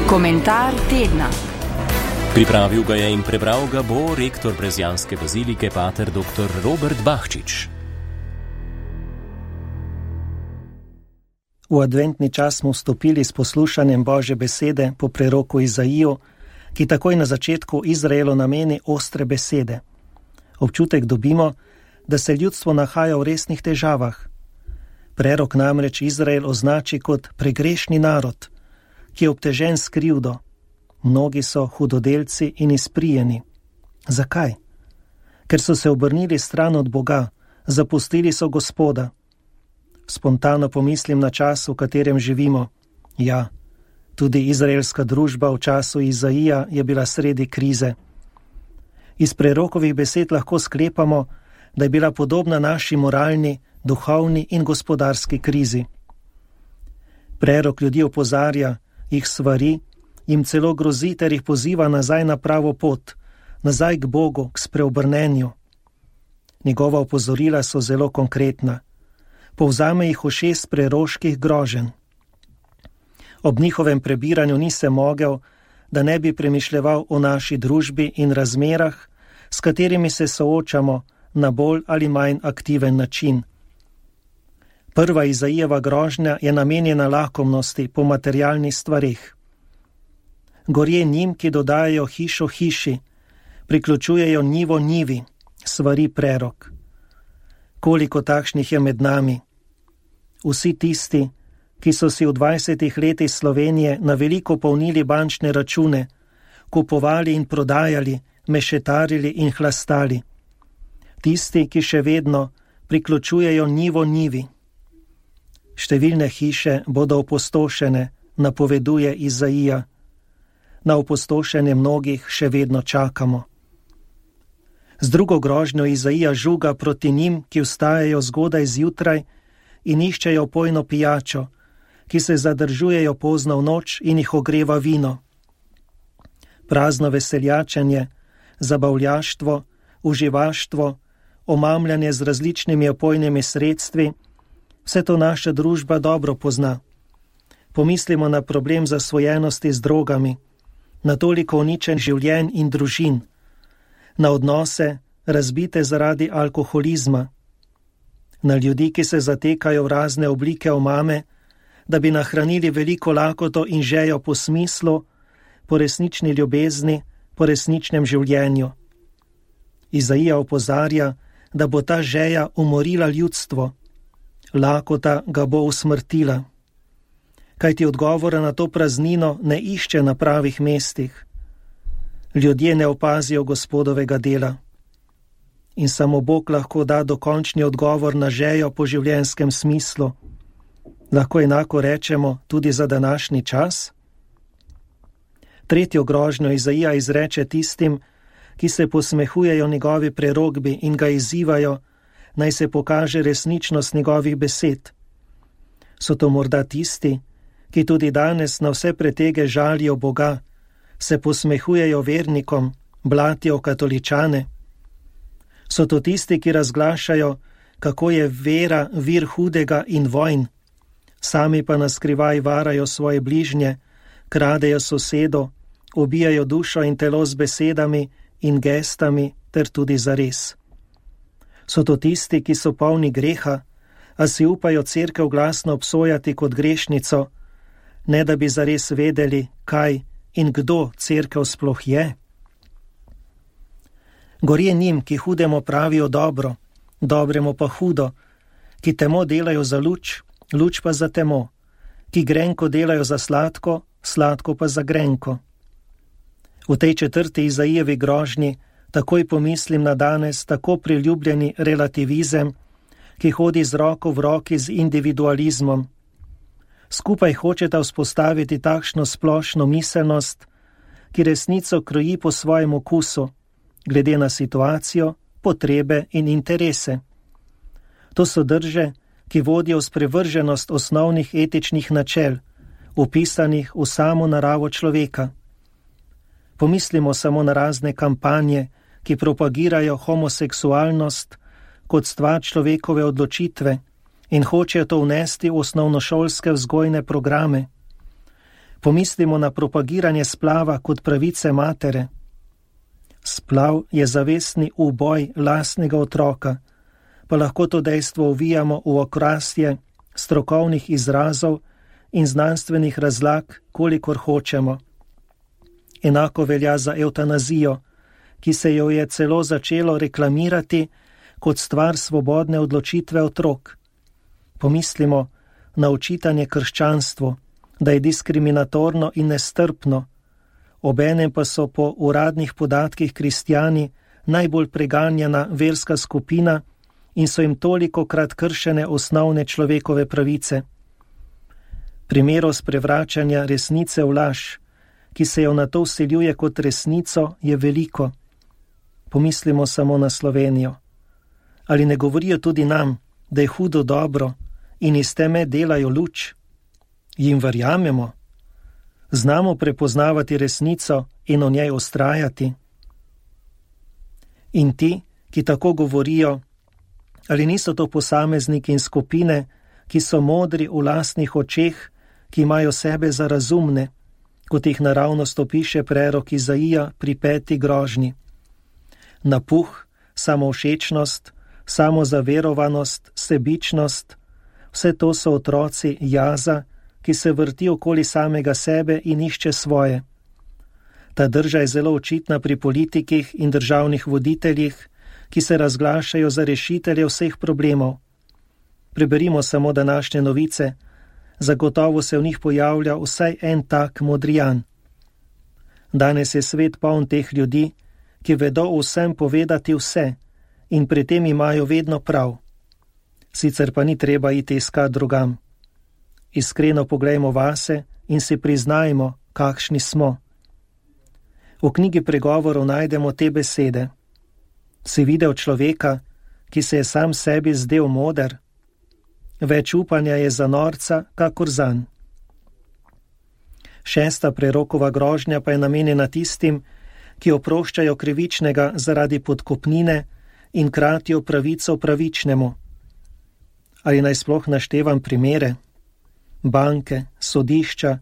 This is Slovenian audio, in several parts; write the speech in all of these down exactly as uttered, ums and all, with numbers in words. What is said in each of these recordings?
Komentar tedna. Pripravil ga je in prebral ga bo rektor Brezjanske bazilike pater doktor Robert Bahčič. V adventni čas smo vstopili s poslušanjem Božje besede po preroku Izaiju, ki takoj na začetku Izraelu nameni ostre besede. Občutek dobimo, da se ljudstvo nahaja v resnih težavah. Prerok namreč Izrael označi kot pregrešni narod, ki je obtežen s krivdo. Mnogi so hudodelci in izprijeni. Zakaj? Ker so se obrnili stran od Boga, zapustili so Gospoda. Spontano pomislim na čas, v katerem živimo. Ja, tudi izraelska družba v času Izaija je bila sredi krize. Iz prerokovih besed lahko sklepamo, da je bila podobna naši moralni, duhovni in gospodarski krizi. Prerok ljudi opozarja, jih svari, jim celo grozi ter jih poziva nazaj na pravo pot, nazaj k Bogu, k spreobrnenju. Njegova opozorila so zelo konkretna. Povzame jih v šest preroških groženj. Ob njihovem prebiranju ni se mogel, da ne bi premišljeval o naši družbi in razmerah, s katerimi se soočamo na bolj ali manj aktiven način. Prva Izaijeva grožnja je namenjena lakomnosti po materialnih stvareh. Gorje njim, ki dodajajo hišo hiši, priključujejo njivo njivi, svari prerok. Koliko takšnih je med nami? Vsi tisti, ki so si v dvajsetih letih Slovenije na veliko polnili bančne račune, kupovali in prodajali, mešetarili in hlastali. Tisti, ki še vedno priključujejo njivo njivi. Številne hiše bodo opustošene, napoveduje Izaija. Na opustošenje mnogih še vedno čakamo. Z drugo grožnjo Izaija žuga proti njim, ki vstajajo zgodaj zjutraj in iščejo pojno pijačo, ki se zadržujejo pozno v noč in jih ogreva vino. Prazno veseljačenje, zabavljaštvo, uživaštvo, omamljanje z različnimi opojnimi sredstvi, vse to naša družba dobro pozna. Pomislimo na problem zasvojenosti z drogami, na toliko uničen življenj in družin, na odnose, razbite zaradi alkoholizma, na ljudi, ki se zatekajo v razne oblike omame, da bi nahranili veliko lakoto in žejo po smislu, po resnični ljubezni, po resničnem življenju. Izaija opozarja, da bo ta žeja umorila ljudstvo, lakota ga bo usmrtila. Kajti odgovora na to praznino ne išče na pravih mestih. Ljudje ne opazijo Gospodovega dela. In samo Bog lahko da dokončni odgovor na žejo po življenjskem smislu. Lahko enako rečemo tudi za današnji čas? Tretjo grožnjo Izaija izreče tistim, ki se posmehujejo njegovi prerokbi in ga izzivajo, naj se pokaže resničnost njegovih besed. So to morda tisti, ki tudi danes na vse pretege žalijo Boga, se posmehujejo vernikom, blatijo katoličane? So to tisti, ki razglašajo, kako je vera vir hudega in vojn, sami pa naskrivaj varajo svoje bližnje, kradejo sosedo, ubijajo dušo in telo z besedami in gestami ter tudi zares? So to tisti, ki so polni greha, a si upajo cerkev glasno obsojati kot grešnico, ne da bi zares vedeli, kaj in kdo cerkev sploh je? Gorje njim, ki hudemo pravijo dobro, dobremu pa hudo, ki temo delajo za luč, luč pa za temo, ki grenko delajo za sladko, sladko pa za grenko. V tej četrti Izaijevi grožnji takoj pomislim na danes tako priljubljeni relativizem, ki hodi z roko v roki z individualizmom. Skupaj hočeta vzpostaviti takšno splošno miselnost, ki resnico kroji po svojem okusu, glede na situacijo, potrebe in interese. To so drže, ki vodijo v sprevrženost osnovnih etičnih načel, vpisanih v samo naravo človeka. Pomislimo samo na razne kampanje, ki propagirajo homoseksualnost kot stvar človekove odločitve in hočejo to vnesti v osnovnošolske vzgojne programe. Pomislimo na propagiranje splava kot pravice matere. Splav je zavestni uboj lastnega otroka, pa lahko to dejstvo uvijamo v okrasje strokovnih izrazov in znanstvenih razlag, kolikor hočemo. Enako velja za evtanazijo, ki se jo je celo začelo reklamirati kot stvar svobodne odločitve otrok. Pomislimo na očitanje krščanstvu, da je diskriminatorno in nestrpno, obenem pa so po uradnih podatkih kristjani najbolj preganjana verska skupina in so jim tolikokrat kršene osnovne človekove pravice. Primerov sprevračanja resnice v laž, ki se jo na to vseljuje kot resnico, je veliko. Pomislimo samo na Slovenijo. Ali ne govorijo tudi nam, da je hudo dobro in iz teme delajo luč? Jim verjamemo? Znamo prepoznavati resnico in o njej vztrajati? In ti, ki tako govorijo, ali niso to posamezniki in skupine, ki so modri v lastnih očeh, ki imajo sebe za razumne, kot jih naravnost opiše prerok Izaija pri peti grožnji? Napuh, samovšečnost, samozaverovanost, sebičnost, vse to so otroci jaza, ki se vrti okoli samega sebe in išče svoje. Ta drža je zelo očitna pri politikih in državnih voditeljih, ki se razglašajo za rešitelje vseh problemov. Preberimo samo današnje novice, zagotovo se v njih pojavlja vsaj en tak modrijan. Danes je svet poln teh ljudi, ki vedo vsem povedati vse in pri tem imajo vedno prav. Sicer pa ni treba iti iskat drugam. Iskreno poglejmo vase in si priznajmo, kakšni smo. V knjigi pregovorov najdemo te besede. Si videl človeka, ki se je sam sebi zdel moder? Več upanja je za norca, kakor zanj. Šesta prerokova grožnja pa je namenjena tistim, ki oproščajo krivičnega zaradi podkupnine in kratijo pravico pravičnemu. Ali naj sploh naštevam primere? Banke, sodišča,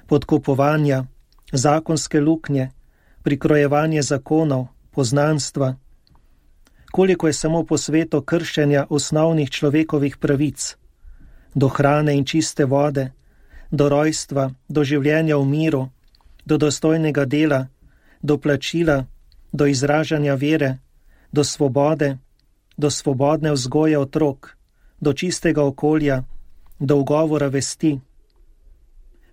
podkupovanja, zakonske luknje, prikrojevanje zakonov, poznanstva. Koliko je samo po svetu kršenja osnovnih človekovih pravic, do hrane in čiste vode, do rojstva, do življenja v miru, do dostojnega dela, do plačila, do izražanja vere, do svobode, do svobodne vzgoje otrok, do čistega okolja, do ugovora vesti.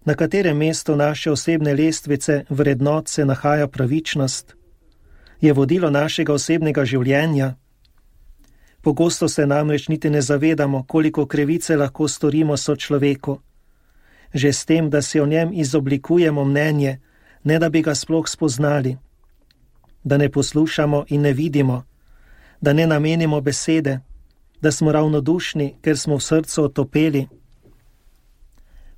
Na katerem mestu naše osebne lestvice vrednot se nahaja pravičnost? Je vodilo našega osebnega življenja? Pogosto se namreč niti ne zavedamo, koliko krivice lahko storimo sočloveku. Že s tem, da si o njem izoblikujemo mnenje, ne da bi ga sploh spoznali. Da ne poslušamo in ne vidimo, da ne namenimo besede, da smo ravnodušni, ker smo v srcu otopeli.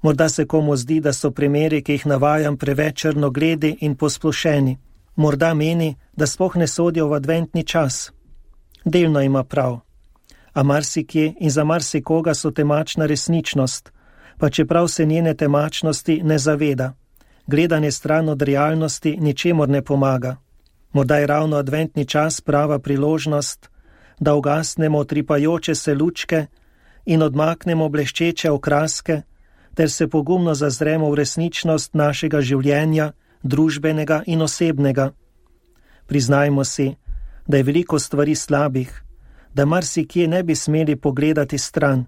Morda se komu zdi, da so primeri, ki jih navajam, preveč črnogledi in posplošeni. Morda meni, da sploh ne sodijo v adventni čas. Delno ima prav. A marsikje in za marsikoga so temačna resničnost, pa čeprav se njene temačnosti ne zaveda. Gledanje stran od realnosti ničemur ne pomaga. Morda je ravno adventni čas prava priložnost, da ugasnemo utripajoče se lučke in odmaknemo bleščeče okraske, ter se pogumno zazremo v resničnost našega življenja, družbenega in osebnega. Priznajmo si, da je veliko stvari slabih, da marsikje ne bi smeli pogledati stran.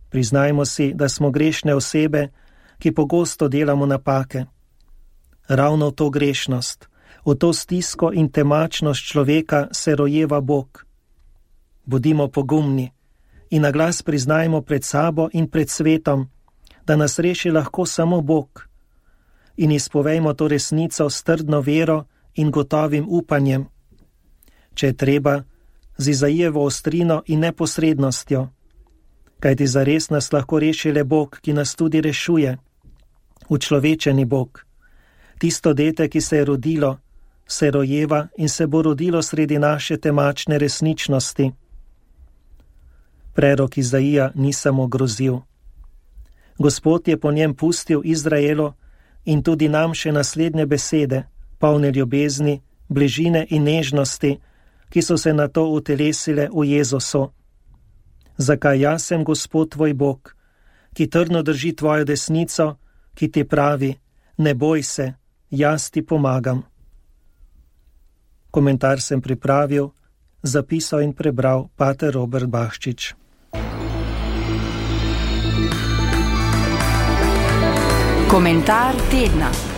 Priznajmo si, da smo grešne osebe, ki pogosto delamo napake. Ravno v to grešnost, v to stisko in temačnost človeka se rojeva Bog. Bodimo pogumni in na glas priznajmo pred sabo in pred svetom, da nas reši lahko samo Bog. In izpovejmo to resnico s trdno vero in gotovim upanjem. Če je treba, z Izaijevo ostrino in neposrednostjo. Kajti zares nas lahko reši le Bog, ki nas tudi rešuje. Učlovečeni Bog. Tisto dete, ki se je rodilo, se rojeva in se bo rodilo sredi naše temačne resničnosti. Prerok Izaija ni samo grozil. Gospod je po njem pustil Izraelu, in tudi nam še naslednje besede, polne ljubezni, bližine in nežnosti, ki so se nato utelesile v Jezusu. Zakaj jaz sem Gospod tvoj Bog, ki trdno drži tvojo desnico, ki ti pravi, ne boj se, jaz ti pomagam. Komentar sem pripravil, zapisal in prebral pater Robert Bahčič. Komentar tedna.